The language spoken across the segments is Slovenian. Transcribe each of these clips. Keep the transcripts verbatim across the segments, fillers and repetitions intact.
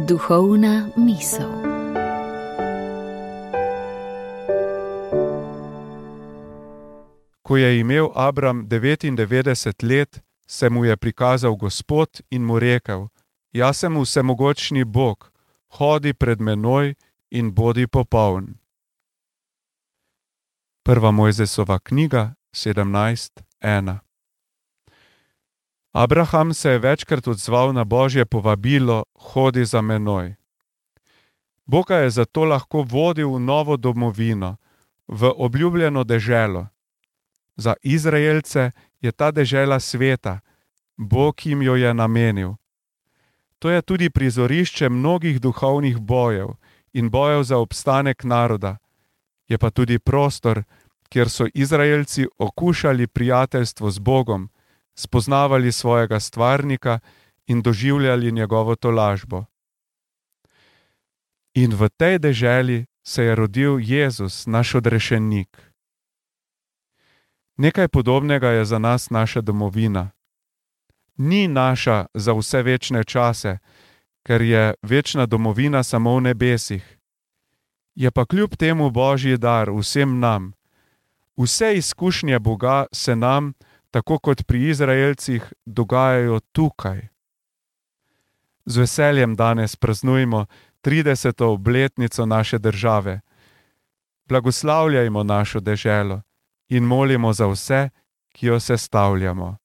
Duhovna misel. Ko je imel Abram devetindevetdeset let, se mu je prikazal Gospod in mu rekel: Jaz sem vsemogočni Bog, hodi pred menoj in bodi popoln. Prva Mojzesova knjiga, sedemnajst ena. Abraham se je večkrat odzval na Božje povabilo: hodi za menoj. Bog ga je zato lahko vodil v novo domovino, v obljubljeno deželo. Za Izraelce je ta dežela sveta, Bog jim jo je namenil. To je tudi prizorišče mnogih duhovnih bojev in bojev za obstanek naroda. Je pa tudi prostor, kjer so Izraelci okušali prijateljstvo z Bogom, spoznavali svojega stvarnika in doživljali njegovo tolažbo. In v tej deželi se je rodil Jezus, naš odrešenik. Nekaj podobnega je za nas naša domovina. Ni naša za vse večne čase, ker je večna domovina samo v nebesih. Je pa kljub temu Božji dar vsem nam. Vse izkušnje Boga se nam, tako kot pri Izraelcih, dogajajo tukaj. Z veseljem danes praznujemo trideseto obletnico naše države. Blagoslavljajmo našo deželo in molimo za vse, ki jo sestavljamo.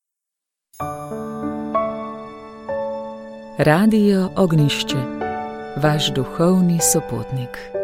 Radio Ognjišče, vaš duhovni sopotnik.